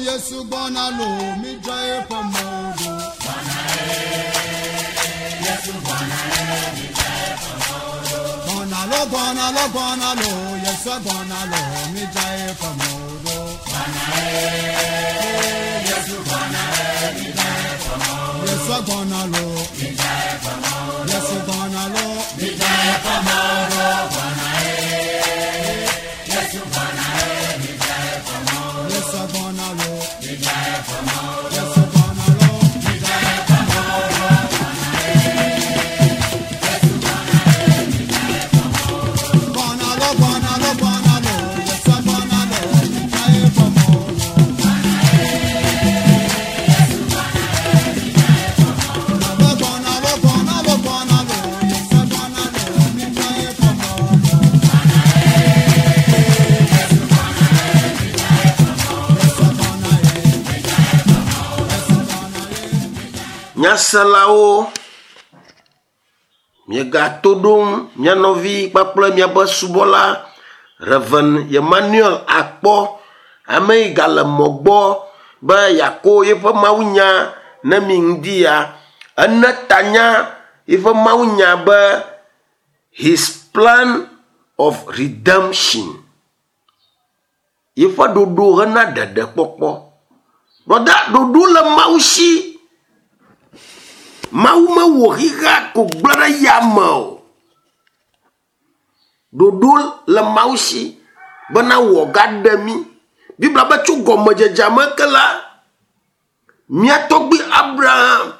Yesu gbɔna lo, midzra eƒe mɔwo ɖo. Gbɔna lo, gbɔna lo, gbɔna lo, Yesu gbɔna lo, midzra eƒe mɔwo ɖo. Yesu gbɔna lo, Yesu gbɔna lo, Yesu gbɔna lo, Yesu gbɔna lo, gbɔna lo, gbɔna lo, gbɔna lo, Yesu gbɔna lo, midzra eƒe mɔwo ɖo. Gbɔna lo, gbɔna lo, gbɔna lo, Yesu gbɔna lo, midzra eƒe mɔwo ɖo. Yesu gbɔna ye, Yesu gbɔna ye. Nyaselawo, miegato ɖom mia nɔvi kpakple miaƒe subɔla Reverend Emmanuel Akpɔ, ame yi gale mɔ gbɔ be yeako yeƒe mawunya ne mi ŋdi ya. Ene tanya yeƒe mawunya be His Plan of Redemption. Yeƒe ɖoɖo hena ɖeɖekpɔkpɔ. Brɔda, ɖoɖo le Mawu si. Mawu mewɔ xixea ko gblẽ ɖe yame o. Ɖoɖo le Mawu si bena wòagaɖe mí. Biblia be tso gɔmedzedzea me ke la, mía tɔgbui Abraham,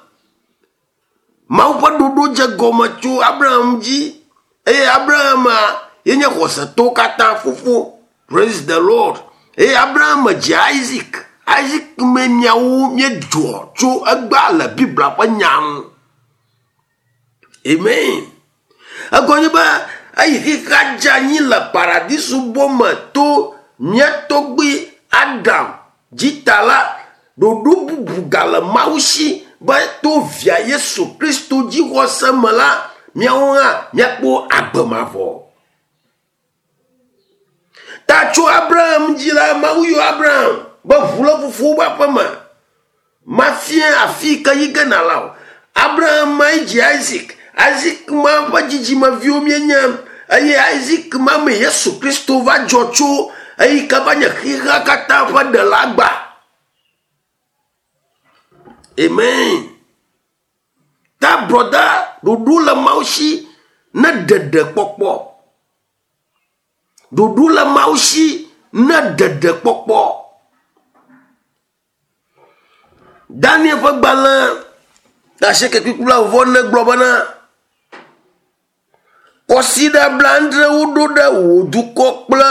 Mawu ƒe ɖoɖo dze gɔme tso Abraham dzi eye Abraham ye nye xɔsetɔwo katã fofo. Praise the Lord. Eye Abraham dzi Isaac. Isaac me miawo míedzɔ tso egbea le Biblia ƒe nya ŋu. Amen. Egɔme nye be eyi xexea dze anyi le paradiso bɔ me to mía tɔgbui Adam dzi ta la, ɖoɖo bubu gale Mawu si be to via Yesu Kristo dzixɔse me la, míawo hã míakpɔ agbe mavɔ. Ta tso Abraham dzi la, Mawu yɔ Abraham be ʋu le fofowo ƒe aƒe me. Mafia afi yi ke yi ge nàla o. Abraham mae dzi Isaac. Isaac ma ƒe dzidzimeviwo míenye eye Isaac ma mee Yesu Kristo va dzɔ tso eyi ke va nye xexea katã ƒe ɖela gba. Amen. Ta brɔda ɖoɖo le Mawu si ne ɖeɖekpɔkpɔ. Ɖoɖo le Mawu si ne ɖeɖekpɔkpɔ. Daniel ƒe gbalẽ asieke kpukpui blaeve-vɔ-ene gblɔ bena, Kɔsiɖa blaadre woɖo ɖe wò dukɔ kple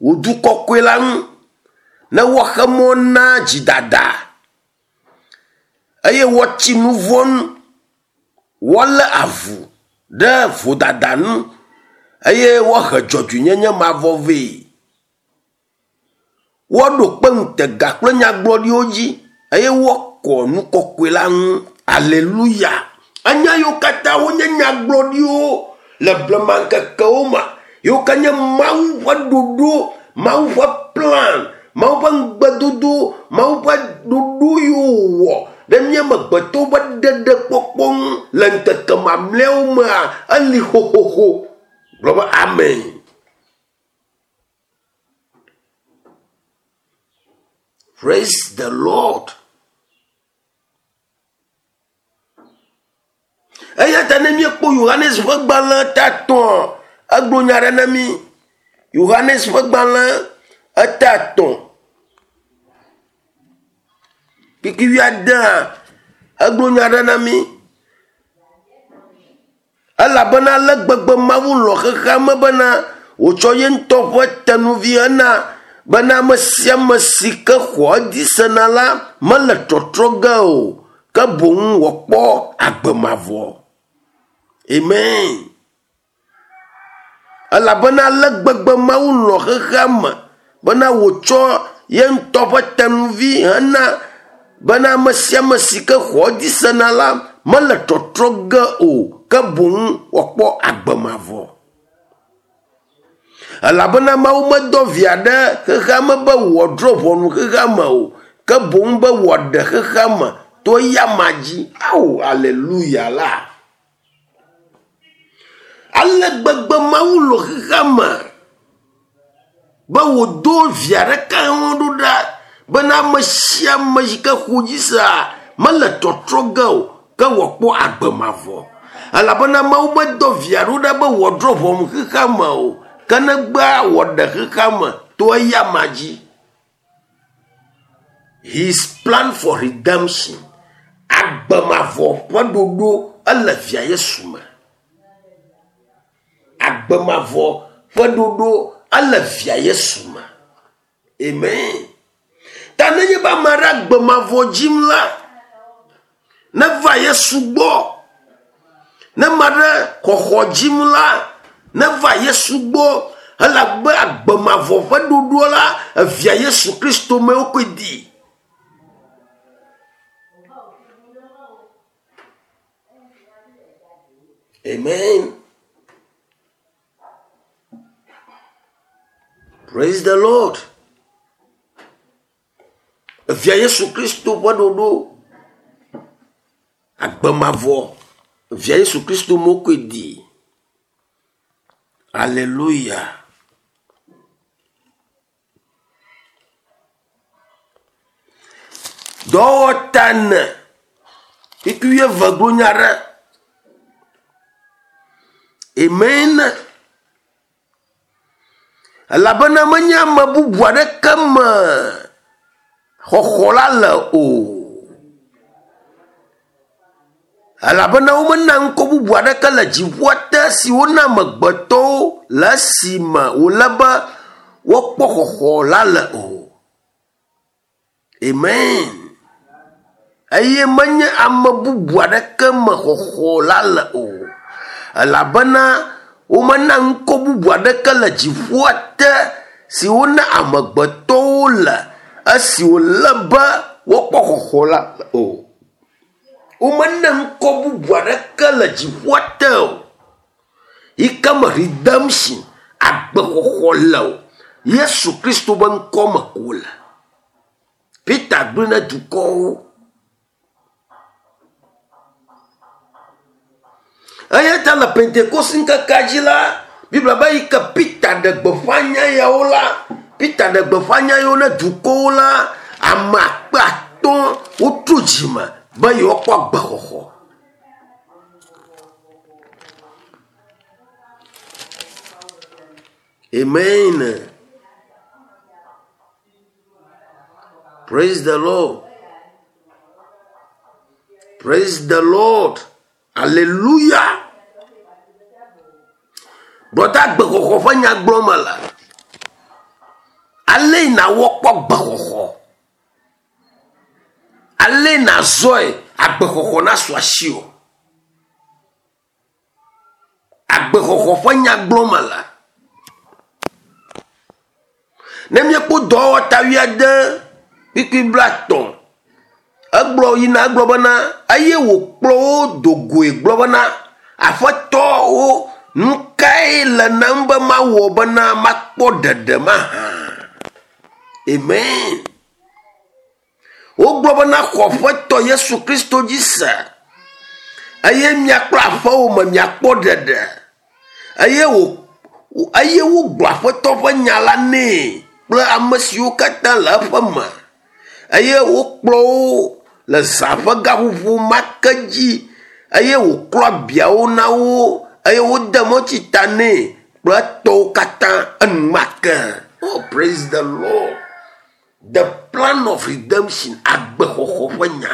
wò du kɔkɔe la ŋu ne woaxe mɔ na dzidada eye woatsi nu vɔ̃ nu, woalé avu ɖe vodada nu eye woahe dzɔdzɔenyenye mavɔ vɛ. Woaɖo kpe ŋutega kple nyagblɔɖiwo dzi eye woakɔ nu kɔkɔe la ŋu. Aleluya! Enya yiwo katã wonye nyagblɔɖiwo le blema ŋkekewo me, yiwo ke nye Mawu ƒe ɖoɖo, Mawu ƒe plan, Mawu ƒe ŋugbedodo, Mawu ƒe ɖoɖo yiwo wòwɔ ɖe mía amegbetɔwo ƒe ɖeɖekpɔkpɔ ŋu le ŋkeke mamlɛawo mea, eli xoxoxo. Gblɔ be amen. Praise the Lord. Eya ta ne míekpɔ Yohanes ƒe gbalẽ ta etɔ̃, egblɔ nya aɖe na mí. Yohanes ƒe gbalẽ eta etɔ̃ kpukpui wuiadea, egblɔ nya aɖe na mí. Elabena ale gbegbe Mawu lɔ̃ xexea me bena wòtsɔ ye ŋutɔ ƒe tenuvi hena bena ame sia ame si ke xɔ edzi sena la mele trɔtrɔ ge o, ke boŋ wòakpɔ agbe mavɔ. Amen. Elabena ale gbegbe Mawu lɔ̃ xexea me bena wòtsɔ ye ŋutɔ ƒe tenuvi hena bena ame sia ame si ke xɔ edzi sena la mele trɔtrɔ ge o, ke boŋ wòakpɔ agbe mavɔ. Elabena Mawu medɔ via ɖe xexea me be wòadrɔ̃ ʋɔnu xexea me o, ke boŋ be wòaɖe xexea me to eyama dzi. Ao, aleluya la! Ale gbegbe Mawu lɔ̃ xexea me be wòdo via ɖeka hã ɖo ɖa bena ame sia ame yi ke xɔ dzi sea mele tɔtrɔ ge o ke wòakpɔ agbe mavɔ. Elabena Mawu medɔ via ɖo ɖa be wòadrɔ̃ ʋɔnu xexea me o, ke negbea wòaɖe xexea me to eyama dzi. His plan for redemption. Agbe mavɔ ƒe ɖoɖo ele via Yesu me. Agbe mavɔ ƒe ɖoɖo ele via Yesu me. Amen. Ta nenye be ame aɖe agbe mavɔ dzim la, neva Yesu gbɔ. Ne ame aɖe xɔxɔ dzim la, neva Yesu gbɔ. Elabe agbe mavɔ ƒe ɖoɖoa la, evia Yesu Kristo me wokɔe di. Amen. Praise the Lord. Evia Yesu Kristo ƒe ɖoɖo agbe mavɔ. Evia Yesu Kristo mokɔe di. Hallelujah. Dɔwɔta ene kpukpui wuieve gblɔ nya ɖe. Amen. Elabena menye ame bubu aɖeke me xɔxɔ la le o. Elabena womena ŋkɔ bubu aɖeke le dziƒoa te si wona amegbetɔwo le esime wòle be woakpɔ xɔxɔ la le o. Amen. Eye menye ame bubu aɖeke me xɔxɔ la le o. Elabena womena ŋkɔ bubu aɖeke le dziƒoa te si wona amegbetɔwo le esi wòle be woakpɔ xɔxɔ la le o. Womena ŋkɔ bubu aɖeke le dziƒoa te o yi ke me redemption, agbexɔxɔ le o. Yesu Kristo ƒe ŋkɔ me ko wòle. Peter gblɔe na dukɔwo. Eya ta le Pentekoste ŋkekea dzi la, Biblia be yi ke Peter ɖe gbeƒã nya yawo la, Peter ɖe gbeƒã nya yawo na dukɔwo la, ame akpe atɔ̃ wotrɔ dzime be yewoakpɔ agbexɔxɔ. Amen. Praise the Lord. Praise the Lord. Hallelujah. Brɔda gbexɔxɔ ƒe nya gblɔm mele. Ale nàwɔ kpɔ gbexɔxɔ. Ale nàzɔe agbexɔxɔ nasu asiwò. Agbexɔxɔ ƒe nya gblɔm mele. Ne míekpɔ dɔwɔta wuiade kpukpui blaetɔ̃, egblɔ yina egblɔ bena eye wòkplɔ wo do goe gblɔ bena, Aƒetɔwo, nu kae le nam be mawɔ bena makpɔ ɖeɖe mahã? Amen. Wogblɔ bena xɔ Aƒetɔ Yesu Kristo dzi se eye mia kple aƒewò me miakpɔ ɖeɖe. Eye wò eye wogblɔ Aƒetɔ ƒe nya la nɛ kple ame siwo katã le eƒe me. Eye wokplɔ wo le zã ƒe gaƒoƒo ma ke dzi eye wòklɔ abiawo na wo eye wode mɔtsi ta nɛ kple etɔwo katã enumake. Oh, praise the Lord. The plan of redemption, agbexɔxɔ ƒe nya.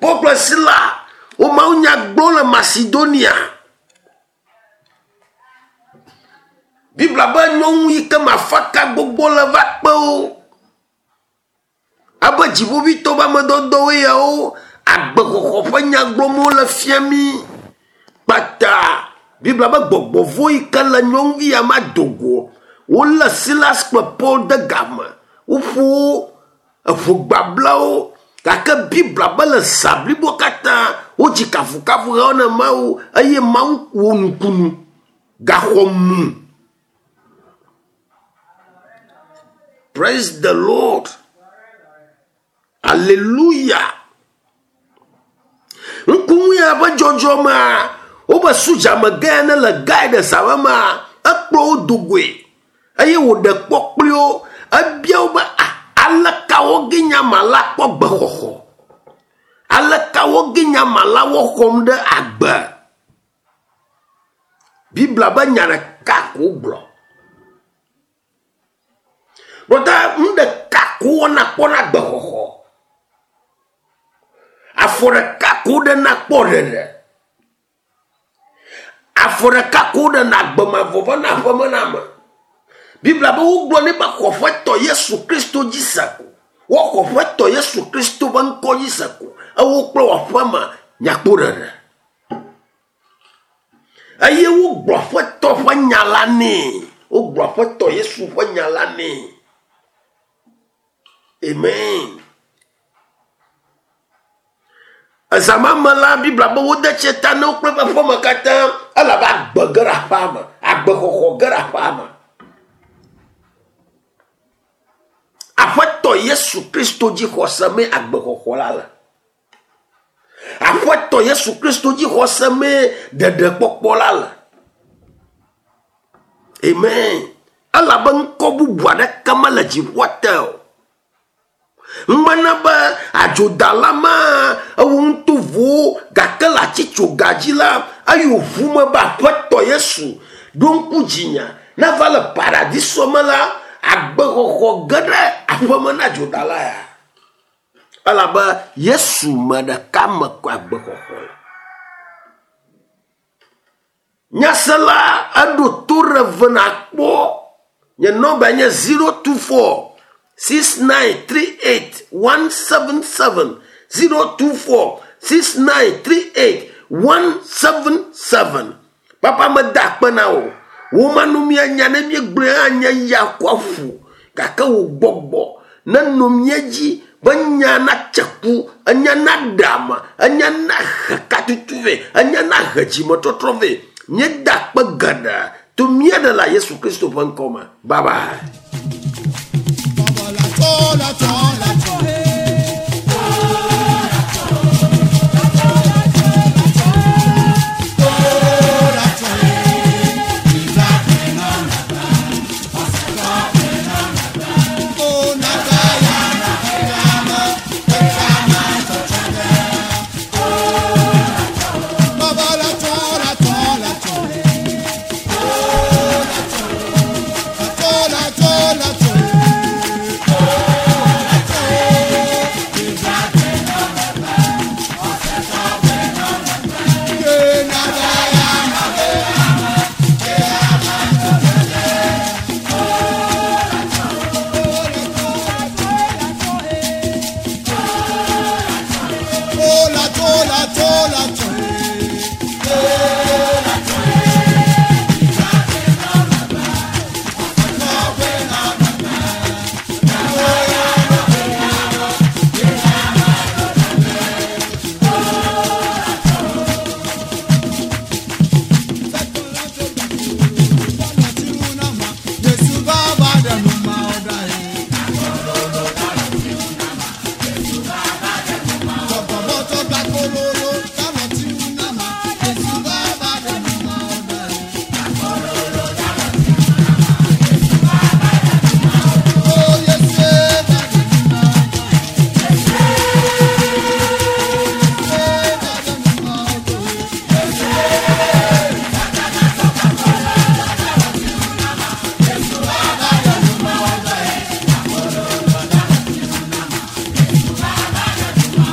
Paul kple Sila wo mawunya gblɔm le Macedonia. Biblia be nyɔnu yi ke me afaka gbogbo le va kpe wo. Abe dziƒoʋĩtɔ ƒe ame dɔdɔwoe yawo, agbexɔxɔ ƒe nya gblɔm wole fia mí. Kpata Biblia be gbɔgbɔ vɔ̃ yi ke le nyɔnuvi ya ma do go. Wolé Silas kple Paul de game. Woƒo wo, eƒo gbabla wo. Gake Biblia be le zã blibo katã wodzi kafukafuhawo na Mawu eye Mawu wɔ nukunu. Gaxɔ mu. Praise the Lord. Aleluya. Ŋkuŋu ya ƒe dzɔdzɔmea, wobe sudzamegã ne le gae ɖe zã mea, ekplɔ wo do goe eye wòɖe kpɔ kpli wo. Ebia wo be, "Ah, aleka woge nyama la kpɔ gbexɔxɔ? Aleka woge nyama la woxɔm ɖe agbe?" Biblia be nya ɖeka ko gblɔ. Ɖota nu ɖeka ko wɔna kpɔna gbexɔxɔ. Afɔ ɖeka ko ɖena kpɔ ɖeɖe. Afɔ ɖeka ko ɖena agbemavɔ va na aƒeme na ame. Biblia be wogblɔ nɛ be xɔ Aƒetɔ Yesu Kristo dzi se ko. Woxɔ Aƒetɔ Yesu Kristo ƒe ŋkɔ dzi se ko. Ewo kple wò aƒeme nyakpɔ ɖeɖe. Eye wogblɔ Aƒetɔ ƒe nya la nɛ. Wogblɔ Aƒetɔ Yesu ƒe nya la nɛ. Amen. Ezã ma me la, Biblia be wode tsi ta na wo kple eƒe aƒeme katã elabe agbe ge ɖe aƒea me. Agbexɔxɔ ge ɖe aƒea me. Aƒetɔ Yesu Kristo dzi xɔse mee agbexɔxɔ la le. Aƒetɔ Yesu Kristo dzi xɔse mee ɖeɖekpɔkpɔ la le. Amen. Elabe ŋkɔ bubu aɖeke mele dziƒoa te o. Ŋmena be adzodala ma ewo ŋutovowo gake le atsitsoga dzi la eyi ʋu me be Aƒetɔ Yesu ɖo ŋku dzinya nava le paradiso me la agbexɔxɔ ge ɖe aƒeme na adzodala ya. Elabe Yesu me ɖeka me ko agbexɔxɔ le. Nyasela eɖo to ɖe ve nakpɔ. Nye nɔmba nye 024 6938 177 024 6938 177. Papa meda akpe na wò. Wò manu míanya ne míegblɔe hã nye ya ko aƒu gake wò gbɔgbɔ nenɔ mía dzi be nya natse ku, enya naɖe ame, enya nahe katutu vɛ, enya nahe dzimetɔtrɔ vɛ. Míeda akpe geɖe to mía ɖela Yesu Kristo ƒe ŋkɔ me. Bye bye. Baba la tɔ la tɔ la tɔ. Baba la tɔ la tɔ la tɔ. La tɔ la tɔ la tɔ. Oh la tɔ la tɔ la tɔ. Yesu baba dẹnu ma ọ̀dà yìí. Tọ̀gbọ̀bọ̀ gba kólóró táwọn tí ń nà má. Yesu baba dẹnu ma ọ̀dà yìí. Ó Yesu bá dẹnu ma ọ̀dà yìí. Yesu bá dẹnu ma ọ̀dà yìí.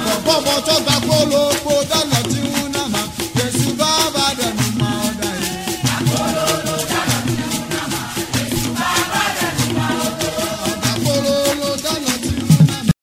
Tọ̀gbọ̀bọ̀ tó gba kólóró.